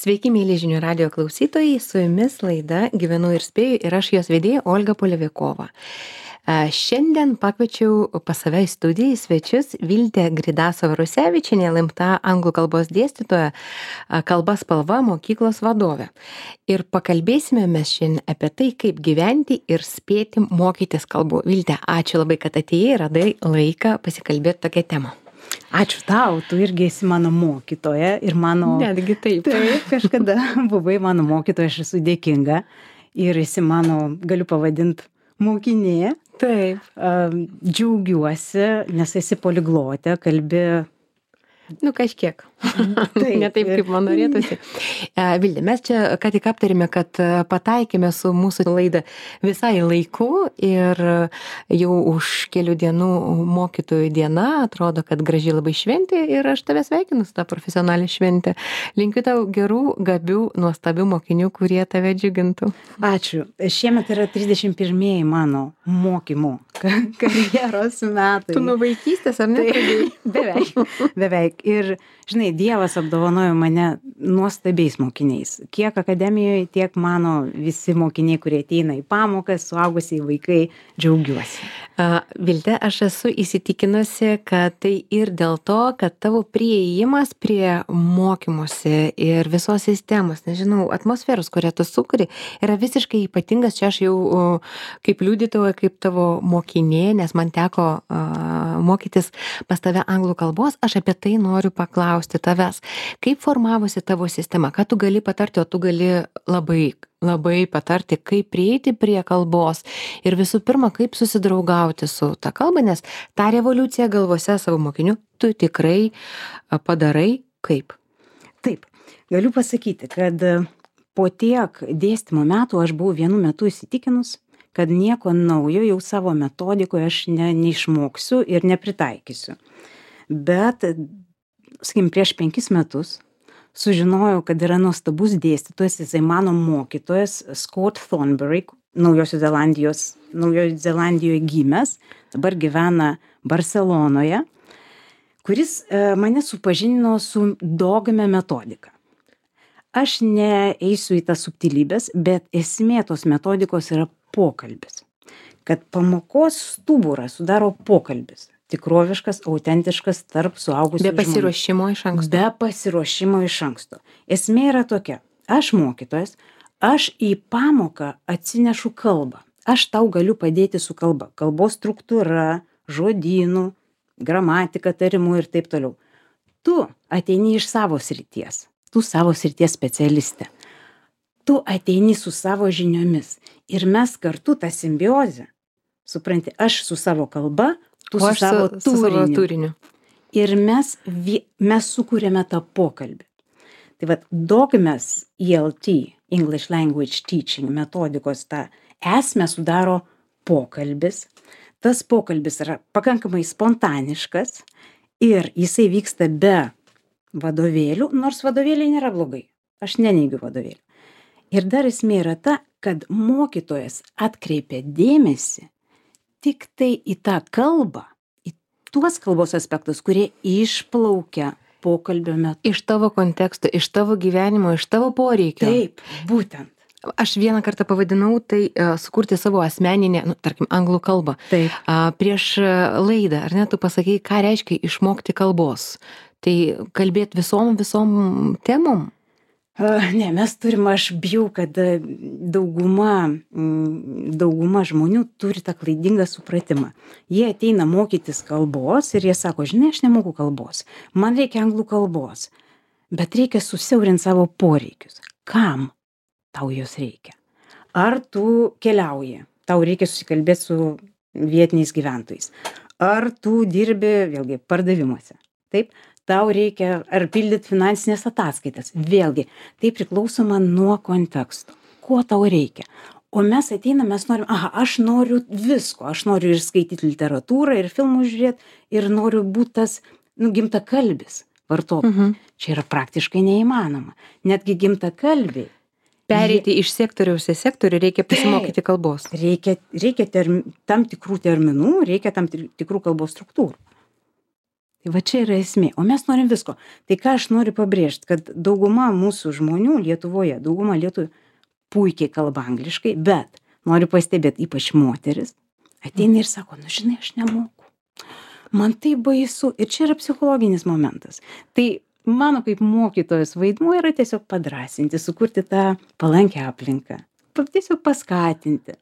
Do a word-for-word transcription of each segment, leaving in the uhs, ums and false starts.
Sveiki, mėly žinių radio klausytojai, su jumis laida Gyvenu ir spėju ir aš jos vedėja Olga Polevikova. Šiandien pakviečiau pas save į studiją į svečius Viltę Gridasovą-Rusevičienę, L M T anglų kalbos dėstytoją, kalba spalva mokyklos vadovę. Ir pakalbėsime mes šiandien apie tai, kaip gyventi ir spėti mokytis kalbų. Vilte, ačiū labai, kad atėjai ir radai laiką pasikalbėti tokią temą. Ačiū tau, tu irgi esi mano mokytoja ir mano... Netgi taip. Taip, kažkada buvai mano mokytoja, aš esu dėkinga ir esi mano, galiu pavadinti, mokinė. Taip. Džiaugiuosi, nes esi poliglotė, kalbi... Nu, kažkiek. Taip. Ne taip, kaip man norėtųsi. Vilde, mes čia ką tik aptarėme, kad pataikėme su mūsų laida visai laiku ir jau už kelių dienų mokytojų diena, atrodo, kad graži labai šventė ir aš tave sveikinu su tą profesionalią šventę. Linkiu tau gerų, gabių, nuostabių mokinių, kurie tave džiugintų. Ačiū. Šiemet yra trisdešimt pirmieji mano mokymų karjeros metai. Tu nuo vaikystės, ar ne? Tai, beveik, beveik. Ir, žinai, Dievas apdovanojo mane nuostabiais mokiniais. Kiek akademijoje, tiek mano visi mokiniai, kurie ateina į pamokas, suaugusiai vaikai, džiaugiuosi. Uh, Vilte, aš esu įsitikinusi, kad tai ir dėl to, kad tavo priėjimas prie mokymosi ir visos sistemos, nežinau, atmosferos, kurią tu sukuri, yra visiškai ypatingas. Čia aš jau uh, kaip liudytoja, kaip tavo mokinė, nes man teko uh, mokytis pas tave anglų kalbos, aš apie tai noriu paklausti tavęs. Kaip formavosi tavo sistema? Ką tu gali patarti, o tu gali labai, labai patarti, kaip prieiti prie kalbos ir visų pirma, kaip susidraugauti su ta kalba, nes tą revoliuciją galvose savo mokinių tu tikrai padarai kaip? Taip, galiu pasakyti, kad po tiek dėstymo metų aš buvau vienu metu įsitikinus, kad nieko naujo jau savo metodikoje aš ne, neišmoksiu ir nepritaikysiu. Bet, sakykim, prieš penkis metus sužinojau, kad yra nuostabus dėstytojas, jisai mano mokytojas, Scott Thornbury, Naujosios Zelandijos, Naujojo Zelandijoje gimęs, dabar gyvena Barcelonoje, kuris e, mane supažinino su dogme metodika. Aš neeisiu į tas subtilybės, bet esmė tos metodikos yra pokalbis. Kad pamokos stuburą sudaro pokalbis. Tikroviškas, autentiškas tarp suaugusių žmonių. Be pasiruošimo iš anksto. Be pasiruošimo iš anksto. Esmė yra tokia. Aš mokytojas, aš į pamoką atsinešu kalbą. Aš tau galiu padėti su kalba. Kalbos struktūra, žodynų, gramatika, tarimų ir taip toliau. Tu ateini iš savo srities. Tu savo srities specialistė. Tu ateini su savo žiniomis. Ir mes kartu tą simbiozę, supranti, aš su savo kalba, tu su savo, su, su savo turiniu. Ir mes, mes sukūrėme tą pokalbį. Tai vad, dogmes E L T, English Language Teaching metodikos, tą esmę sudaro pokalbis. Tas pokalbis yra pakankamai spontaniškas ir jisai vyksta be vadovėlių, nors vadovėliai nėra blogai. Aš neneigiu vadovėlių. Ir dar esmė yra ta, kad mokytojas atkreipia dėmesį tik tai į tą kalbą, į tuos kalbos aspektus, kurie išplaukia pokalbio metu. Iš tavo konteksto, iš tavo gyvenimo, iš tavo poreikio. Taip, būtent. Aš vieną kartą pavadinau tai uh, sukurti savo asmeninę, nu, tarkim, anglų kalbą. Taip. Uh, prieš laidą, ar ne, tu pasakei, ką reiškia išmokti kalbos. Tai kalbėti visom, visom temom. Uh, ne, mes turim, aš bijau, kad dauguma, dauguma žmonių turi tą klaidingą supratimą. Jie ateina mokytis kalbos ir jie sako, žinai, aš nemoku kalbos, man reikia anglų kalbos, bet reikia susiaurinti savo poreikius. Kam tau jos reikia? Ar tu keliauji, tau reikia susikalbėti su vietiniais gyventojais? Ar tu dirbi, vėlgi, pardavimuose? Taip? Tau reikia ar pildyti finansinės ataskaitas. Vėlgi, tai priklausoma nuo konteksto. Ko tau reikia? O mes ateinam, mes norim, aha, aš noriu visko. Aš noriu ir skaityti literatūrą, ir filmų žiūrėti, ir noriu būti tas, nu, gimtakalbis vartotojas. Mhm. Čia yra praktiškai neįmanoma. Netgi gimtakalbiai. Pereiti iš sektoriaus į sektorių reikia pasimokyti kalbos. Reikia, reikia term, tam tikrų terminų, reikia tam tikrų kalbos struktūrų. Tai va čia yra esmė, o mes norim visko. Tai ką aš noriu pabrėžti, kad dauguma mūsų žmonių Lietuvoje, dauguma lietuvių puikiai kalba angliškai, bet noriu pastebėti, ypač moteris, ateina ir sako, nu žinai, aš nemoku. Man tai baisu ir čia yra psichologinis momentas. Tai mano kaip mokytojos vaidmuo yra tiesiog padrąsinti, sukurti tą palankę aplinką, tiesiog paskatinti.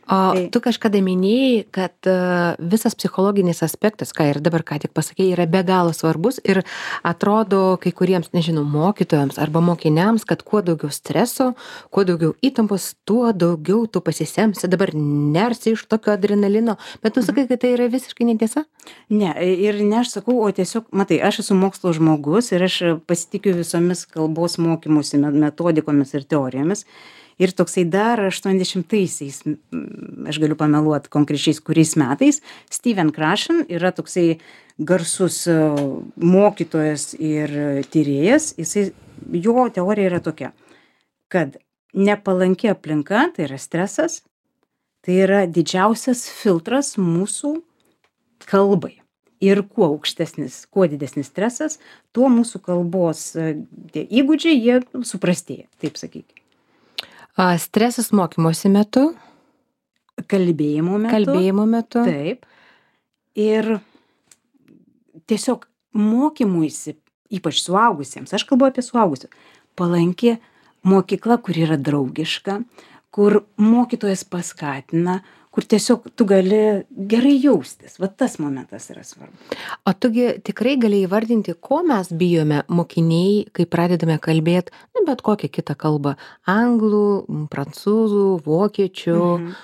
O tai tu kažkada minėjai, kad uh, visas psichologinis aspektas, ką ir dabar ką tik pasakėjai, yra be galo svarbus ir atrodo kai kuriems, nežinau, mokytojams arba mokiniams, kad kuo daugiau streso, kuo daugiau įtampos, tuo daugiau tu pasisemsi, dabar nersi iš tokio adrenalino, bet tu sakai, kad tai yra visiškai netiesa? Ne, ir ne aš sakau, o tiesiog, matai, aš esu mokslo žmogus ir aš pasitikiu visomis kalbos mokymosi metodikomis ir teorijomis. Ir toksai dar aštuoniasdešimtaisiais, aš galiu pameluoti konkrečiais kuriais metais, Steven Krashen yra toksai garsus mokytojas ir tyrėjas. Jisai, jo teorija yra tokia, kad nepalanki aplinka, tai yra stresas, tai yra didžiausias filtras mūsų kalbai. Ir kuo aukštesnis, kuo didesnis stresas, tuo mūsų kalbos tie įgūdžiai, jie suprastėja, taip sakykime. Stresas mokymosi metu. Kalbėjimo metu. Kalbėjimo metu. Taip. Ir tiesiog mokymuisi, ypač suaugusiems, aš kalbu apie suaugusius, palanki mokykla, kur yra draugiška, kur mokytojas paskatina, kur tiesiog tu gali gerai jaustis. Va tas momentas yra svarbu. O tugi tikrai gali įvardinti, ko mes bijome mokiniai, kai pradedame kalbėti, nu, bet kokią kitą kalbą. Anglų, prancūzų, vokiečių. Mhm.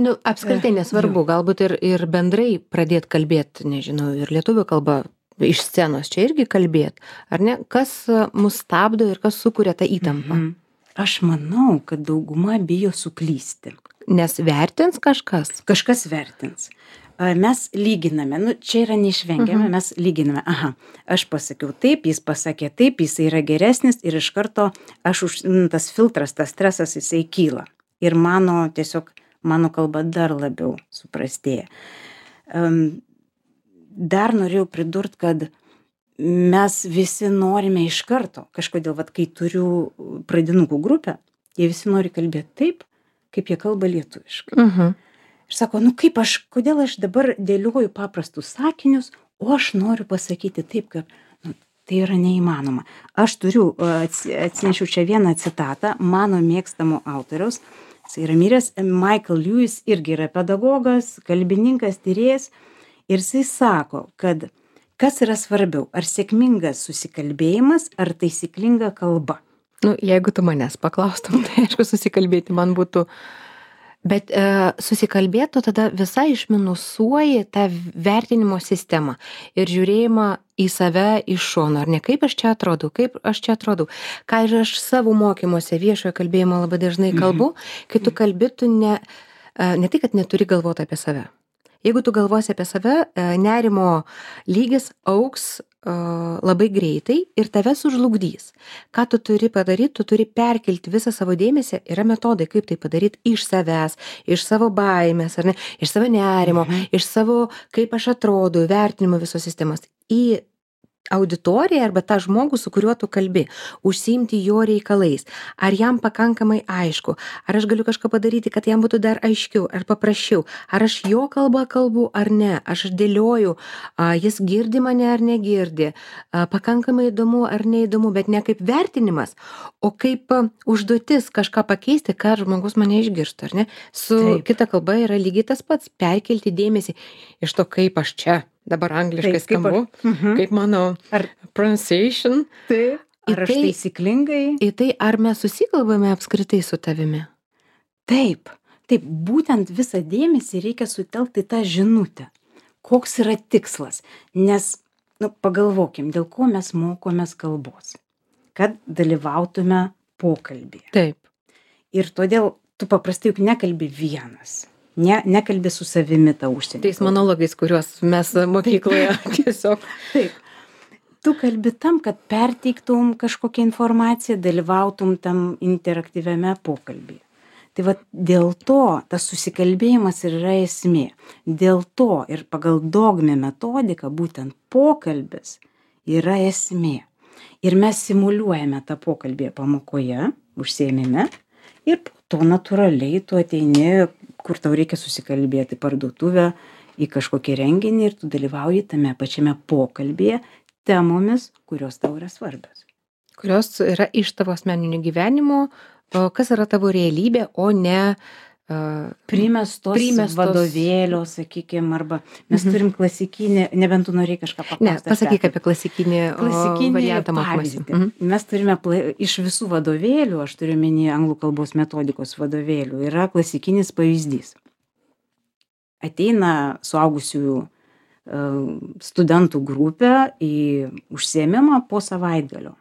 Nu, apskritai nesvarbu, galbūt ir, ir bendrai pradėti kalbėti, nežinau, ir lietuvių kalbą iš scenos čia irgi kalbėti. Ar ne? Kas mus stabdo ir kas sukuria tą įtampą? Mhm. Aš manau, kad dauguma bijo suklysti. Nes vertins kažkas? Kažkas vertins. Mes lyginame, nu, čia yra neišvengiama, uh-huh. mes lyginame, aha, aš pasakiau taip, jis pasakė taip, jis yra geresnis ir iš karto aš už, tas filtras, tas stresas, jisai kyla. Ir mano, tiesiog, mano kalba dar labiau suprastėja. Um, dar norėjau pridurt, kad mes visi norime iš karto, kažkodėl, vat, kai turiu pradinukų grupę, jie visi nori kalbėti taip, kaip jie kalba lietuviškai. Uh-huh. Ir sako, nu kaip aš, kodėl aš dabar dėlioju paprastus sakinius, o aš noriu pasakyti taip, kad nu, tai yra neįmanoma. Aš turiu, atsinešiau čia vieną citatą, mano mėgstamo autoriaus, jis yra miręs, Michael Lewis, irgi yra pedagogas, kalbininkas, tyrėjas, ir jisai sako, kad kas yra svarbiau, ar sėkmingas susikalbėjimas, ar taisyklinga kalba. Nu, jeigu tu manęs paklaustum, tai aišku, susikalbėti man būtų, bet e, susikalbėtų tada visai išminusuoji tą vertinimo sistemą ir žiūrėjimą į save iš šono, ar ne, kaip aš čia atrodau, kaip aš čia atrodau, ką ir aš savo mokymuose viešojo kalbėjimo labai dažnai kalbu, kai tu kalbi, tu ne, ne tai, kad neturi galvoti apie save. Jeigu tu galvosi apie save, nerimo lygis augs labai greitai ir tave sužlugdys. Ką tu turi padaryti, tu turi perkelti visą savo dėmesį, yra metodai, kaip tai padaryti iš savęs, iš savo baimės, ar ne, iš savo nerimo, mhm. iš savo, kaip aš atrodau, vertinimo visos sistemos, į auditoriją arba tą žmogų, su kuriuo tu kalbi, užsiimti jo reikalais. Ar jam pakankamai aišku, ar aš galiu kažką padaryti, kad jam būtų dar aiškiau ar paprasčiau, ar aš jo kalbą kalbu ar ne, aš dėlioju, a, jis girdi mane ar negirdi, a, pakankamai įdomu ar neįdomu, bet ne kaip vertinimas, o kaip a, užduotis kažką pakeisti, kad žmogus mane išgirstų, ar ne? Su Taip. Kita kalba yra lygiai tas pats, perkelti dėmesį iš to, kaip aš čia dabar angliškai Taip, kaip skambu, aš- Mhm. kaip mano Ar, pronunciation. taip, ar aš tai- taisyklingai? Į tai, ar mes susikalbame apskritai su tavimi? Taip, taip, būtent visą dėmesį reikia sutelkti į tą žinutę. Koks yra tikslas? Nes, nu, pagalvokim, dėl ko mes mokomės kalbos. Kad dalyvautume pokalbėje. Taip. Ir todėl tu paprastai juk nekalbi vienas. Ne, nekalbi su savimi tą užsienį. Tais monologais, kuriuos mes mokykloje tiesiog. Taip. Tu kalbi tam, kad perteiktum kažkokią informaciją, dalyvautum tam interaktyviame pokalbyje. Tai va dėl to tas susikalbėjimas ir yra esmė. Dėl to ir pagal dogminę metodiką būtent pokalbis yra esmė. Ir mes simuliuojame tą pokalbį pamokoje, užsiėmime, ir po to natūraliai tu ateini, kur tau reikia susikalbėti, parduotuvę, į kažkokį renginį ir tu dalyvauji tame pačiame pokalbėje temomis, kurios tau yra svarbios. Kurios yra iš tavo asmeninio gyvenimo, kas yra tavo realybė, o ne uh, primestos, primestos vadovėlio, sakykime, arba mes mhm. turim klasikinį, nebent tu norėjai kažką paklausti. Ne, pasakyk apie klasikinį, klasikinį variantą mokymąsi. Mhm. Mes turime pla... iš visų vadovėlių, aš turiu menį anglų kalbos metodikos vadovėlių, yra klasikinis pavyzdys. Ateina suaugusiųjų uh, studentų grupė į užsiėmimą po savaitgalio.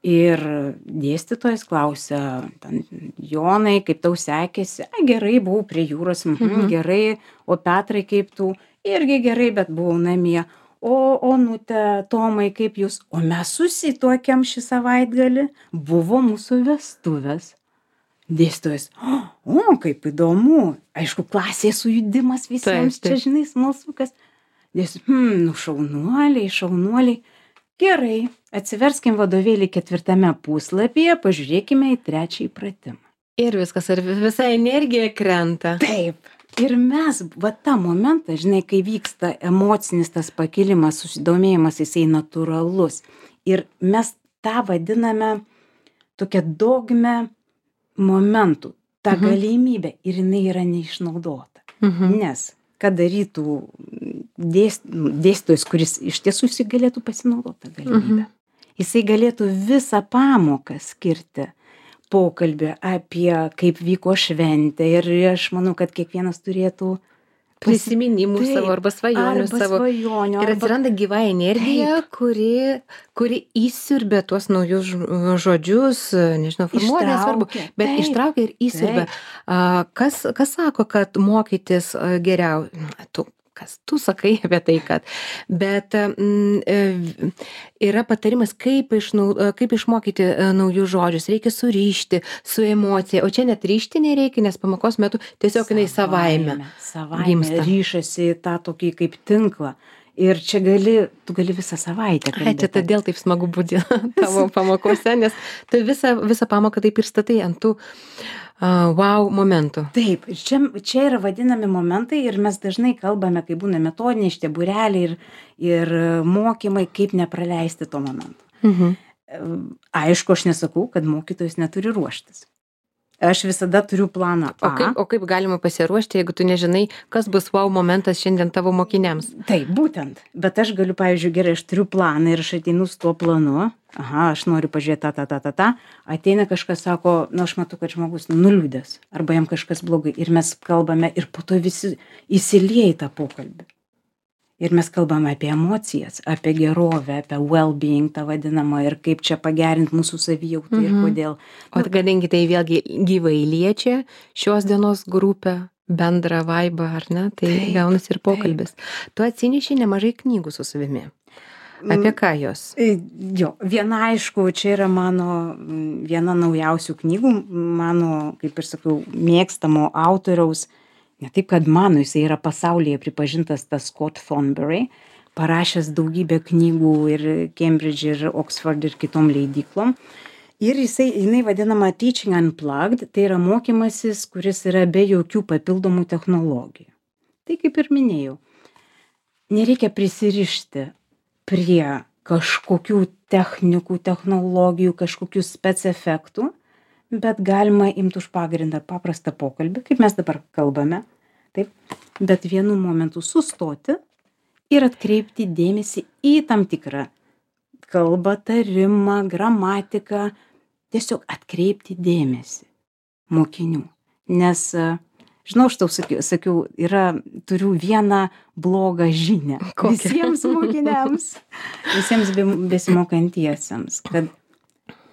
Ir dėstytojas klausia, ten, Jonai, kaip tau sekėsi? A, gerai, buvau prie jūros, mhm, gerai, o Petrai, kaip tu? Irgi gerai, bet buvau namie. O, Onute, Tomai, kaip jūs? O mes susituokėm šį savaitgalį, buvo mūsų vestuvės. Dėstytojas, o, o, kaip įdomu, aišku, klasėje sujudimas visiems, taip, taip. Čia, žinai, smalsukas. Dėstytojas, hm, nu šaunuoliai, šaunuoliai. Gerai, atsiverskim vadovėlį ketvirtame puslapyje, pažiūrėkime į trečiąjį pratimą. Ir viskas, ir visa energija krenta. Taip. Ir mes, va tą momentą, žinai, kai vyksta emocinis tas pakilimas, susidomėjimas, jisai natūralus. Ir mes tą vadiname tokią dogmę momentų, tą mhm. galimybę, ir jinai yra neišnaudota. Mhm. Nes ką darytų dėst, dėstytojas, kuris iš tiesų jisai galėtų pasinaudoti tą galimybę. Mhm. Jisai galėtų visą pamoką skirti pokalbį apie kaip vyko šventė ir aš manau, kad kiekvienas turėtų prisiminimų taip, savo arba svajonių arba savo. Svajonių, ir atsiranda arba... gyva energija, taip. kuri, kuri įsiurbia tuos naujus žodžius, nežinau, formuoja, nesvarbu, bet taip, ištraukia ir įsiurbia. Kas, kas sako, kad mokytis geriau? Tu, kas tu sakai apie tai, kad. Bet mm, yra patarimas, kaip, išnau, kaip išmokyti naujus žodžius. Reikia surišti su emocija. O čia net ryšti nereikia, nes pamokos metu tiesiog jinai savaime. Savaime gimsta. Ryšasi tą tokį kaip tinklą. Ir čia gali, tu gali visą savaitę kalbėti. Ai, čia todėl taip smagu būti tavo pamokose, nes tu visą, visą pamoką taip ir statai ant tų uh, wow momentų. Taip, čia, čia yra vadinami momentai ir mes dažnai kalbame, kai būna metodiniai šitie būreliai ir, ir mokymai, kaip nepraleisti to momento. Mhm. Aišku, aš nesakau, kad mokytojas neturi ruoštis. Aš visada turiu planą A. O kaip, o kaip galima pasiruošti, jeigu tu nežinai, kas bus wow momentas šiandien tavo mokiniams? Taip, būtent. Bet aš galiu, pavyzdžiui, gerai, aš turiu planą ir aš ateinu su tuo planu. Aha, aš noriu pažiūrėti tą, tą, tą, tą, tą. Ateina kažkas, sako, nu aš matau, kad žmogus nuliūdęs. Arba jam kažkas blogai. Ir mes kalbame ir po to visi įsilieja į tą pokalbį. Ir mes kalbame apie emocijas, apie gerovę, apie well-being tą vadinamą ir kaip čia pagerinti mūsų savijautą mhm. ir kodėl. O kadangi tai vėlgi gyvai liečia šios dienos grupę, bendrą vaibą, ar ne, tai taip, gaunasi ir pokalbis. Taip. Tu atsineši nemažai knygų su savimi. Apie ką jos? Jo, viena aišku, čia yra mano viena naujausių knygų, mano, kaip ir sakau, mėgstamo autoriaus. Ne taip, kad mano, jisai yra pasaulyje pripažintas tas Scott Thornberry, parašęs daugybę knygų ir Cambridge, ir Oxford, ir kitom leidyklom. Ir jisai, jinai vadinama Teaching Unplugged, tai yra mokymasis, kuris yra be jokių papildomų technologijų. Tai kaip ir minėjau, nereikia prisirišti prie kažkokių technikų, technologijų, kažkokių spec-efektų, bet galima imti už pagrindą paprastą pokalbį, kaip mes dabar kalbame, taip, bet vienu momentu sustoti ir atkreipti dėmesį į tam tikrą kalbą, tarimą, gramatiką, tiesiog atkreipti dėmesį mokinių. Nes, žinau, aš tau sakiau, sakiau yra, turiu vieną blogą žinią visiems mokiniams, visiems besimokantiesiems, kad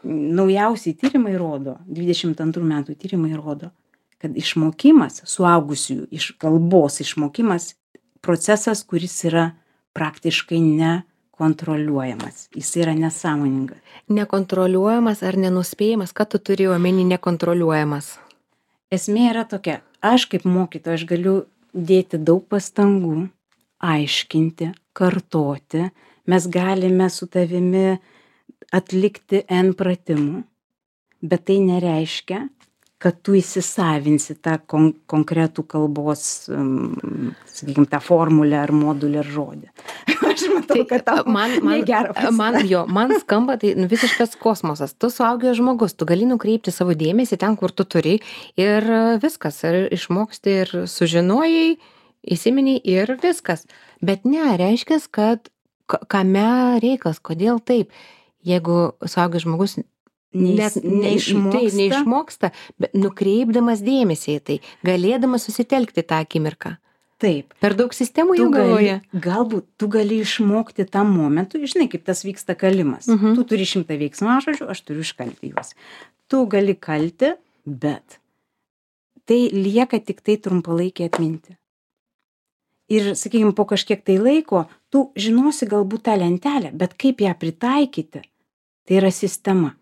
naujausiai tyrimai rodo, dvidešimt antrų metų tyrimai rodo, kad išmokimas, suaugusiųjų iš kalbos išmokimas, procesas, kuris yra praktiškai nekontroliuojamas. Jis yra nesąmoningas. Nekontroliuojamas ar nenuspėjamas, ką tu turi omeny nekontroliuojamas? esmė yra tokia, aš kaip mokytoja, aš galiu dėti daug pastangų, aiškinti, kartoti, mes galime su tavimi atlikti N pratimų, bet tai nereiškia, kad tu įsisavinsi tą kon konkretų kalbos, um, sakykime, tą formulę ar modulį ar žodį. Aš matau, kad tau man, man, negera man, jo, man skamba tai nu, visiškas kosmosas. Tu suaugęs žmogus, tu gali nukreipti savo dėmesį ten, kur tu turi ir viskas, ir išmoksti ir sužinojai, įsiminiai ir viskas. Bet ne, reiškia, kad kame reikalas, kodėl taip. Jeigu suaugęs žmogus net neišmoksta. Tai, neišmoksta, bet nukreipdamas dėmesį į tai, galėdamas susitelkti tą akimirką. Taip. Per daug sistemų Tu jau galvoja. gali, galbūt tu gali išmokti tam momentu, žinai, kaip tas vyksta kalimas. Mhm. Tu turi šimtą veiksmažodžių, aš turiu iškalti juos. Tu gali kalti, bet tai lieka tik tai trumpalaikė atminti. Ir, sakykime, po kažkiek tai laiko, tu žinosi galbūt tą lentelę, bet kaip ją pritaikyti, tai yra sistema.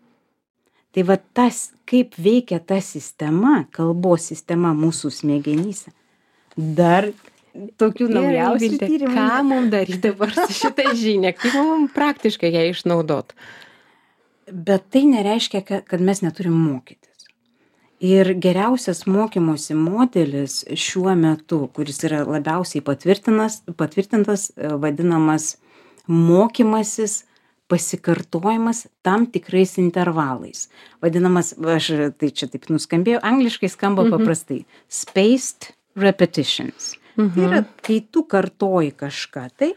Tai va tas, kaip veikia ta sistema, kalbos sistema mūsų smegenyse, dar tokių naujausių tyrimų. Ką mums daryti dabar su šitą žinią, kaip mums praktiškai ją išnaudot? Bet tai nereiškia, kad mes neturim mokytis. Ir geriausias mokymosi modelis šiuo metu, kuris yra labiausiai patvirtintas, patvirtintas vadinamas mokymasis, pasikartojimas tam tikrais intervalais. Vadinamas, aš tai čia taip nuskambėjau, angliškai skamba mhm. paprastai, spaced repetitions. Mhm. Tai yra, kai tu kartoji kažką, tai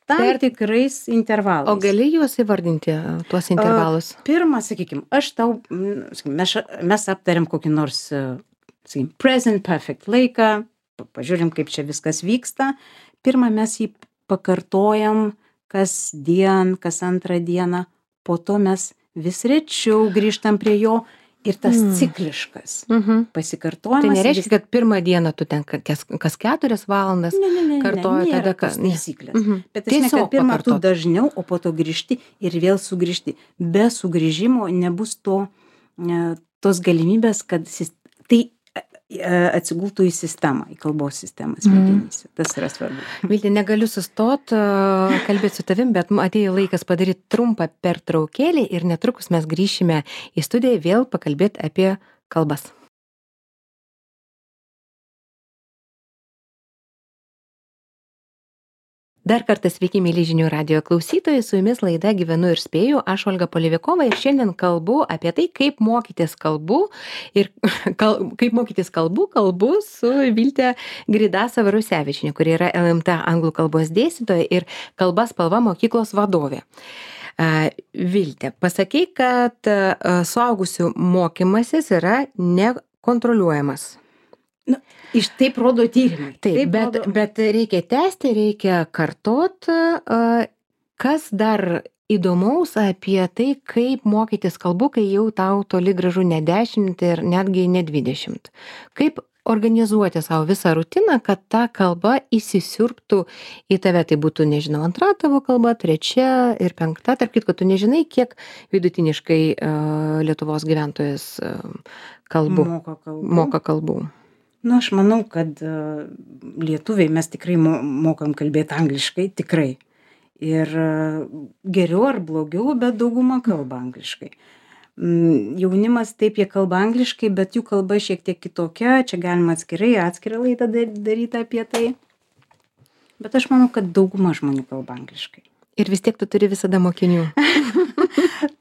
tam per tikrais intervalais. O gali juos įvardinti, tuos intervalus? Uh, pirmą, sakykime, aš tau, mes, mes aptariam kokį nors, sakykime, present perfect laiką, pažiūrim, kaip čia viskas vyksta. Pirmą mes jį pakartojam kas dien, kas antrą dieną, po to mes vis rečiau grįžtam prie jo ir tas mm. cikliškas mm-hmm. pasikartojimas. Tai nereiškia, vis... kad pirmą dieną tu ten kas, kas keturias valandas ne, ne, ne, kartoji ne, tada kas taisyklės. Mm-hmm. Bet esmė, kad pirmą tu dažniau, o po to grįžti ir vėl sugrįžti. Be sugrįžimo nebus to, tos galimybės, kad tai atsigultų į sistemą, į kalbos sistemą smegenyse. Mm. Tas yra svarbu. Viltė, negaliu sustot, kalbėti su tavim, bet atėjo laikas padaryti trumpą pertraukėlį ir netrukus mes grįšime į studiją vėl pakalbėti apie kalbas. Dar kartą sveiki, mėly žinių radijo klausytojai, su jumis laida Gyvenu ir spėju, aš Olga Polivikova ir šiandien kalbu apie tai, kaip mokytis kalbų ir kal, kaip mokytis kalbų, kalbu su Vilte Gridasa Varusevičienė, kuri yra L M T anglų kalbos dėstytoja ir kalba spalva mokyklos vadovė. Uh, Vilte, pasakei, kad uh, suaugusių mokymasis yra nekontroliuojamas. Nu, iš taip rodo tyrimai. Taip, taip bet, rodo... bet reikia tęsti, reikia kartot. Kas dar įdomaus apie tai, kaip mokytis kalbų, kai jau tau toli gražu ne dešimt ir netgi ne dvidešimt. Kaip organizuoti savo visą rutiną, kad ta kalba įsisiurbtų į tave. Tai būtų, nežinau, antra tavo kalba, trečia ir penkta. Tarp kitko, tu nežinai, kiek vidutiniškai uh, Lietuvos gyventojas uh, kalbų, moka kalbų. Moka kalbų. Nu, aš manau, kad uh, lietuviai mes tikrai mo mokam kalbėti angliškai, tikrai. Ir uh, geriau ar blogiau, bet dauguma kalba angliškai. Mm, jaunimas taip, jie kalba angliškai, bet jų kalba šiek tiek kitokia, čia galima atskirai, atskirą laidą daryti apie tai. Bet aš manau, kad dauguma žmonių kalba angliškai. Ir vis tiek tu turi visada mokinių.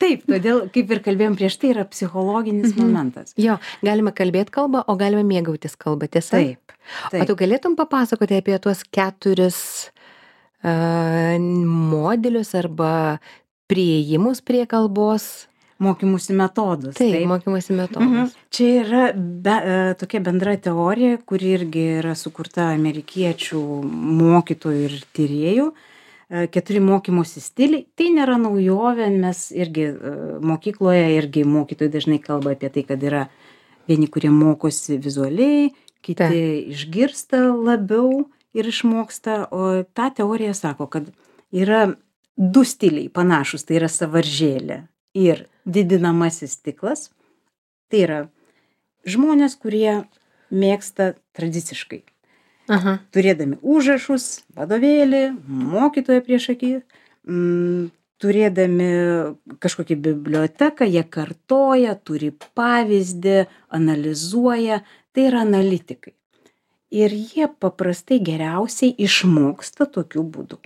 Taip, todėl, kaip ir kalbėjom prieš tai, yra psichologinis mm-hmm. momentas. Jo, galime kalbėti kalbą, o galime mėgautis kalbą, tiesa? Taip, taip. O tu galėtum papasakoti apie tuos keturis uh, modelius arba priėjimus prie kalbos? Mokymusi metodus. Taip, taip. mokymusi metodus. Mhm. Čia yra be, tokia bendra teorija, kuri irgi yra sukurta amerikiečių mokytojų ir tyrėjų. Keturi mokymosi stiliai. Tai nėra naujovė, mes irgi mokykloje, irgi mokytojai dažnai kalba apie tai, kad yra vieni, kurie mokosi vizualiai, kiti Ta. išgirsta labiau ir išmoksta. O ta teorija sako, kad yra du stiliai panašus, tai yra sąvaržėlė ir didinamasis stiklas. Tai yra žmonės, kurie mėgsta tradiciškai. Aha. Turėdami užrašus, vadovėlį, mokytoją prieš akį, mm, turėdami kažkokią biblioteką, jie kartoja, turi pavyzdį, analizuoja, tai yra analitikai. Ir jie paprastai geriausiai išmoksta tokiu būdu.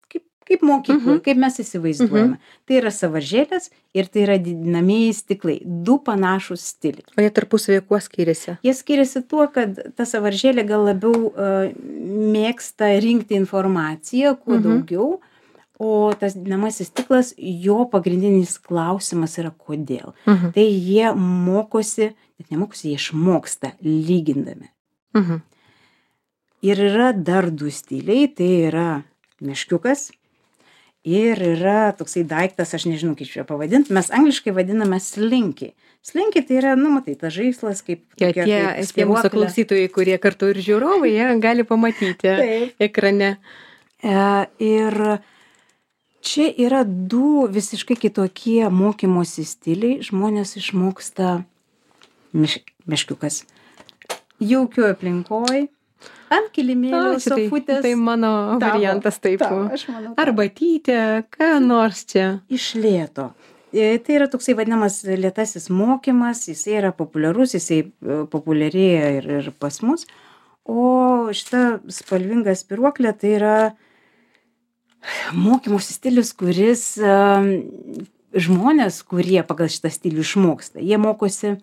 Kaip, kaip mokykloje, Mhm. kaip mes įsivaizduojame. Tai yra sąvaržėlės ir tai yra didinamieji stiklai. Du panašūs stiliai. O jie tarpusavėje kuo skiriasi? Jie skiriasi tuo, kad ta sąvaržėlė gal labiau uh, mėgsta rinkti informaciją, kuo Mhm. daugiau, o tas didinamasis stiklas, jo pagrindinis klausimas yra kodėl. Mhm. Tai jie mokosi, net nemokosi, jie išmoksta lygindami. Mhm. Ir yra dar du stiliai, tai yra meškiukas ir yra toksai daiktas, aš nežinau, kaip čia pavadinti, mes angliškai vadiname slinky. Slinky tai yra, nu, matai, tas žaislas kaip... Ja, tokia tie, kaip tie mūsų spyruoklė. klausytojai, kurie kartu ir žiūrovai, jie gali pamatyti Taip. ekrane. E, ir čia yra du visiškai kitokie mokymosi stiliai. Žmonės išmoksta meš, meškiukas jaukioj aplinkoj, ant kilimėlio, A, šitai- sofutės. Tai mano Tavo, variantas taip. tavo, aš manau, tavo. Arbatytė, ką nors čia. Iš lėto. E, Tai yra toksai vadinamas lėtasis mokymas, jisai yra populiarus, jisai e, populiarėja ir, ir pas mus. O šita spalvinga spiruoklė tai yra mokymosi stilius, kuris e, žmonės, kurie pagal šitą stilių išmoksta, jie mokosi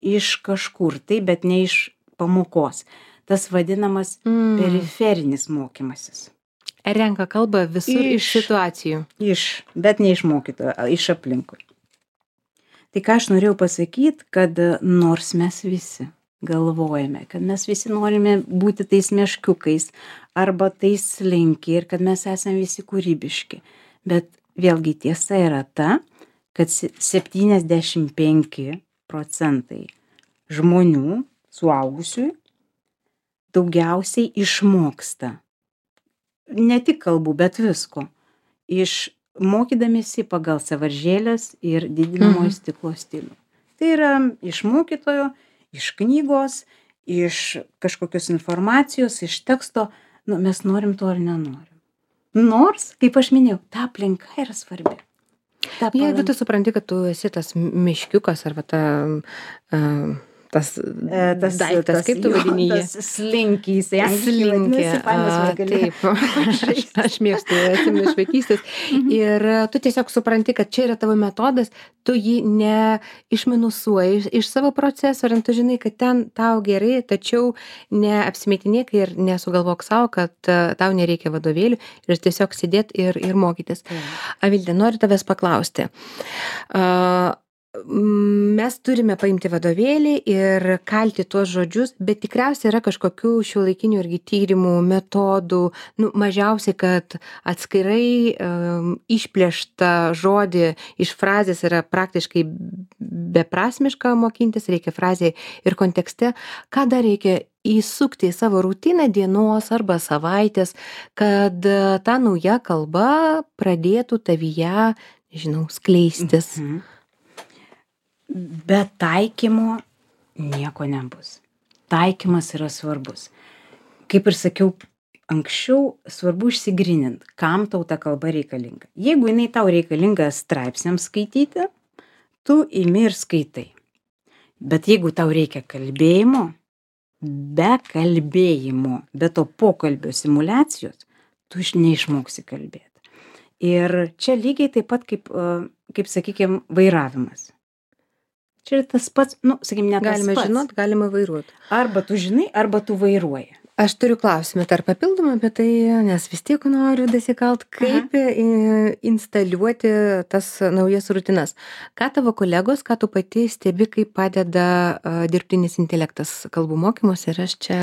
iš kažkur, tai bet ne iš pamokos. Tas vadinamas Mm. periferinis mokymasis. Renka kalbą visur iš, iš Iš- situacijų. Iš, bet ne iš mokytojo, a, iš aplinkui. Tai ką aš norėjau pasakyti, kad e, nors mes visi galvojame, kad mes visi norime būti tais meškiukais arba tais slinky ir kad mes esame visi kūrybiški. Bet vėlgi tiesa yra ta, kad se- septyniasdešimt penki procentai žmonių, suaugusiųjų, daugiausiai išmoksta. Ne tik kalbų, bet visko. Iš mokydamėsi pagal sąvaržėlės ir didinamojo Mhm. stiklo stilių. Tai yra iš mokytojo, iš knygos, iš kažkokios informacijos, iš teksto. Nu, mes norim to ar nenorim. Nors, kaip aš minėjau, ta aplinka yra svarbi. Ta Jeigu palanki- tu supranti, kad tu esi tas miškiukas arba ta, uh, tas, E, tas daiktas, kaip tu jo, vadini jį? tas slinkys, tai angliškai Slinkė. vadinasi, fainas A, vargaliukas. Taip, aš, aš mėgstu, atsimenu iš vaikystės. Ir e, tu tiesiog supranti, kad čia yra tavo metodas, tu jį neišminusuoji iš, iš savo proceso, ir tu žinai, kad ten tau gerai, tačiau neapsimetinėk ir nesugalvok savo, kad e, tau nereikia vadovėlių ir tiesiog sėdėti ir, ir mokytis. Avilde, noriu tavęs paklausti. A, mes turime paimti vadovėlį ir kalti tuos žodžius, bet tikriausiai yra kažkokių šiuolaikinių irgi tyrimų, metodų, nu, mažiausiai, kad atskirai um, išplėštą žodį iš frazės yra praktiškai beprasmiška mokintis, reikia frazėje ir kontekste. Ką dar reikia įsukti į savo rutiną dienos arba savaitės, kad e, ta nauja kalba pradėtų tavyje, nežinau, skleistis. Mhm. Be taikymo nieko nebus. Taikymas yra svarbus. Kaip ir sakiau anksčiau, svarbu išsigrynint, kam tau ta kalba reikalinga. Jeigu jinai tau reikalinga straipsniams skaityti, tu imi ir skaitai. Bet jeigu tau reikia kalbėjimo, be kalbėjimo, be to pokalbio simulacijos, tu iš- neišmoksi kalbėti. Ir čia lygiai taip pat kaip, e, kaip sakykime, vairavimas. Čia yra tas pats, nu, sakykime, ne tas Galime pats. žinot, galime vairuoti. Arba tu žinai, arba tu vairuoji. Aš turiu klausimą dar papildomą apie tai, nes vis tiek noriu dasikalt, kaip i- instaliuoti tas naujas rutinas. Ką tavo kolegos, ką tu pati stebi, kaip padeda a, dirbtinis intelektas kalbų mokymuose, ir aš čia,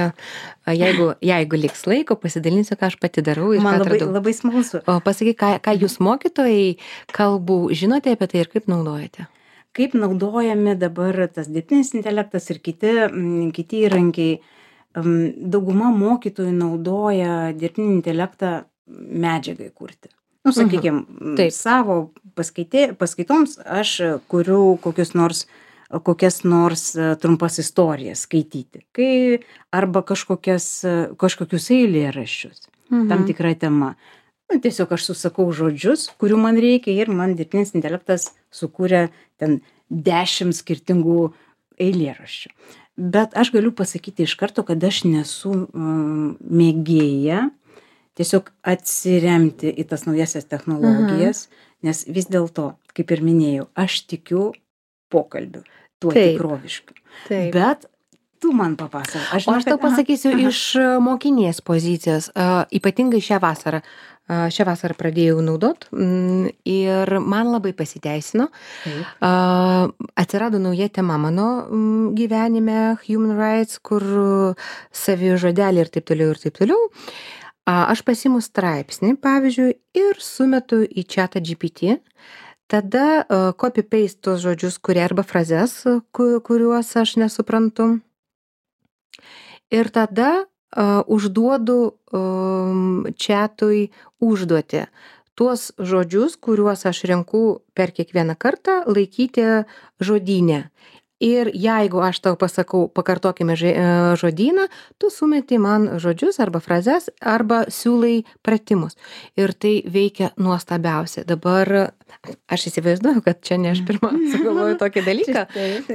a, jeigu, jeigu liks laiko, pasidalinsiu, ką aš pati darau ir Man ką labai, atradau. labai smalsu. O pasakyk, ką, ką jūs mokytojai kalbų žinote apie tai ir kaip naudojate? Kaip naudojami dabar tas dirbtinis intelektas ir kiti, mm, kiti įrankiai. Mm, Dauguma mokytojų naudoja dirbtinį intelektą medžiagai kurti. Nu, sakykime, Taip. savo paskaitė, paskaitoms aš kuriu kokius nors kokias nors trumpas istorijas skaityti, kai arba kažkokias, kažkokius eilėraščius, mhm. tam tikra tema. Nu, tiesiog aš susakau žodžius, kurių man reikia ir man dirbtinis intelektas sukūrė ten dešimt skirtingų eilėraščių. Bet aš galiu pasakyti iš karto, kad aš nesu um, mėgėja tiesiog atsiremti į tas naujasias technologijas, mhm. nes vis dėlto, kaip ir minėjau, aš tikiu pokalbiu, tuo Taip. tikroviškiu. Taip. Bet tu man papasakok. Aš, o aš tau pasakysiu aha, aha. iš mokinės pozicijos, uh, ypatingai šią vasarą. Uh, šią vasarą pradėjau naudot mm, ir man labai pasiteisino. Uh, atsirado nauja tema mano mm, gyvenime, human rights, kur savižodelį ir taip toliau ir taip toliau. Uh, aš pasiimu straipsnį, pavyzdžiui, ir sumetu į chatą G P T. Tada uh, copy-paste tos žodžius, kurie arba frazes, ku, kuriuos aš nesuprantu. Ir tada uh, užduodu um, chatui užduoti tuos žodžius, kuriuos aš renku per kiekvieną kartą, laikyti žodyne. Ir jeigu aš tau pasakau, pakartokime žodyną, tu sumeti man žodžius arba frazes, arba siūlai pratimus. Ir tai veikia nuostabiausiai. Dabar aš įsivaizduoju, kad čia ne aš pirmą sugalvoju tokį dalyką,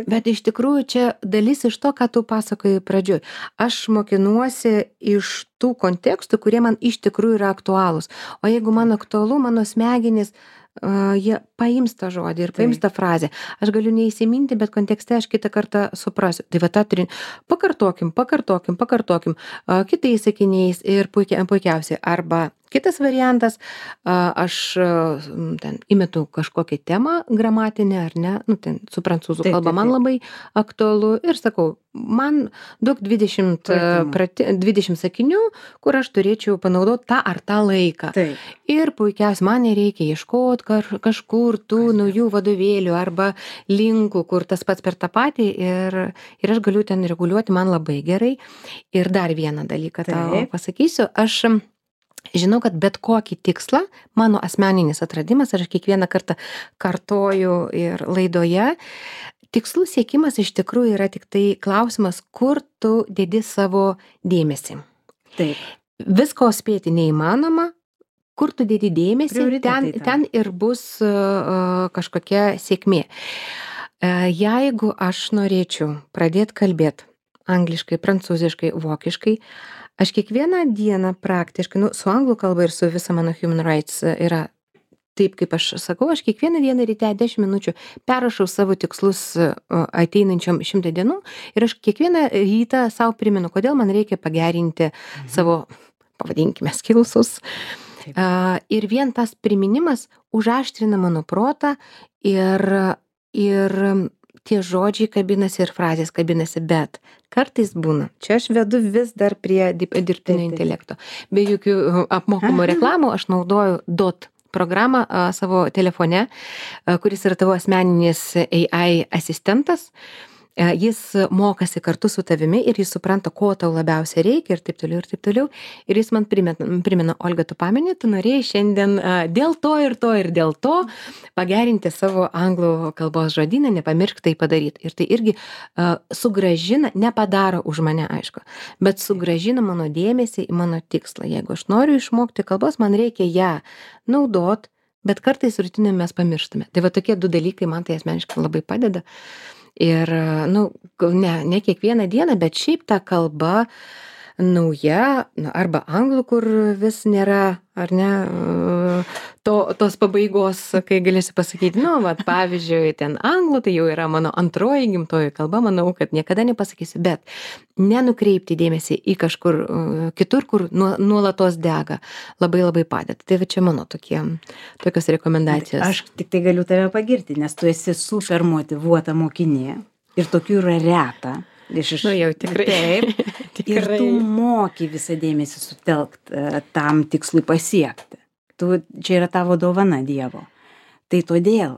bet iš tikrųjų čia dalis iš to, ką tu pasakojai pradžioj. Aš mokinuosi iš tų kontekstų, kurie man iš tikrųjų yra aktualūs. O jeigu man aktualu, mano smegenys, Uh, jie paims tą žodį ir paims tą frazę. Aš galiu neįsiminti, bet kontekste aš kitą kartą suprasiu. Tai va tą turim. Pakartokim, pakartokim, pakartokim uh, kitais sakiniais ir puikia, puikiausiai. Arba kitas variantas, uh, aš uh, ten įmetu kažkokią temą gramatinę, ar ne, nu, ten su prancūzų taip, kalba taip, taip. Man labai aktualu ir sakau, man duok dvidešimt, prati, dvidešimt sakinių, kur aš turėčiau panaudoti tą ar tą laiką. Taip. Ir puikiausiai man nereikia ieškoti kažkur tų Kas naujų vadovėlių arba linkų, kur tas pats per tą patį ir, ir aš galiu ten reguliuoti, man labai gerai. Ir dar vieną dalyką Taip. Tau pasakysiu, aš žinau, kad bet kokį tikslą, mano asmeninis atradimas, aš kiekvieną kartą kartoju ir laidoje, tikslų siekimas iš tikrųjų yra tik tai klausimas, kur tu dedi savo dėmesį. Taip. Visko spėti neįmanoma, kur tu dedi dėmesį, ten, ten ir bus uh, kažkokia sėkmė. Uh, jeigu aš norėčiau pradėti kalbėti angliškai, prancūziškai, vokiškai, aš kiekvieną dieną praktiškai, nu, su anglų kalba ir su visa mano human rights yra taip, kaip aš sakau, aš kiekvieną dieną ryte dešimt minučių perrašau savo tikslus ateinančiom šimtą dienų ir aš kiekvieną rytą savo primenu, kodėl man reikia pagerinti mhm. savo, pavadinkime, skillsus. Uh, ir vien tas priminimas užaštrina mano protą ir, ir tie žodžiai kabinasi ir frazės kabinasi, bet kartais būna. Čia aš vedu vis dar prie dirbtinio intelekto. Be jokių apmokamų reklamų aš naudoju dot programą a, savo telefone, a, kuris yra tavo asmeninis A I asistentas. A, jis mokasi kartu su tavimi ir jis supranta, ko tau labiausiai reikia ir taip toliau ir taip toliau. Ir jis man primena, primena Olga, tu pameni, tu norėjai šiandien a, dėl to ir to ir dėl to pagerinti savo anglų kalbos žodyną, nepamiršk tai padaryti. Ir tai irgi a, sugražina, nepadaro už mane, aišku, bet sugražina mano dėmesį į mano tikslą. Jeigu aš noriu išmokti kalbos, man reikia ją naudot, bet kartais rutinai mes pamirštame. Tai va tokie du dalykai man tai asmeniškai labai padeda. Ir, nu, ne, ne kiekvieną dieną, bet šiaip ta kalba nauja, nu, arba anglų, kur vis nėra, ar ne, to, tos pabaigos, kai galėsiu pasakyti, nu, va, pavyzdžiui, ten anglų, tai jau yra mano antroji gimtoji kalba, manau, kad niekada nepasakysiu, bet nenukreipti dėmesį į kažkur kitur, kur nuolatos dega, labai labai padeda. Tai va čia mano tokie, tokios rekomendacijos. Aš tik tai galiu tave pagirti, nes tu esi super motyvuota mokinė ir tokių yra reta. Iš, iš, nu jau tikrai. Taip. tikrai. Ir tu moki visą dėmesį sutelkt tam tikslui pasiekti. Tu, čia yra tavo dovana Dievo. Tai todėl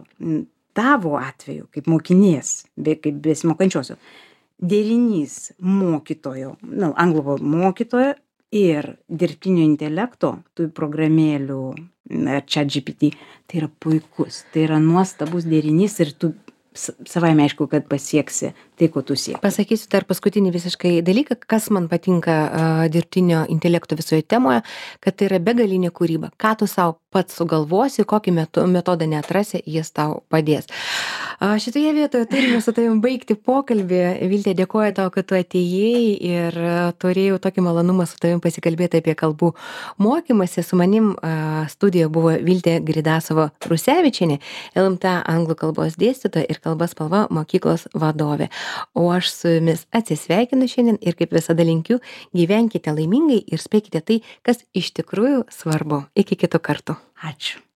tavo atveju, kaip mokinės, be, kaip besimokančiosio, derinys mokytojo, nu, anglų mokytojo ir dirbtinio intelekto, tų programėlių, ChatGPT, tai yra puikus, tai yra nuostabus derinys ir tu s- savaime aišku, kad pasieksi tai, ko tu sieki. Pasakysiu dar paskutinį visiškai dalyką, kas man patinka a, dirbtinio intelekto visoje temoje, kad tai yra begalinė kūryba. Ką tu savo pats sugalvosi, kokį metu, metodą neatrasi, jis tau padės. A, šitoje vietoje turime su tavim baigti pokalbį. Viltė, dėkoju tau, kad tu atėjai ir a, turėjau tokį malonumą su tavim pasikalbėti apie kalbų mokymasi. Su manim a, studijoje buvo Viltė Gridasova Rusevičienė, L M T anglų kalbos dėstytoja ir kalbos spalva mokyklos vadovė. O aš su jumis atsisveikinu šiandien ir kaip visada linkiu, gyvenkite laimingai ir spėkite tai, kas iš tikrųjų svarbu. Iki kitų kartų. Ačiū.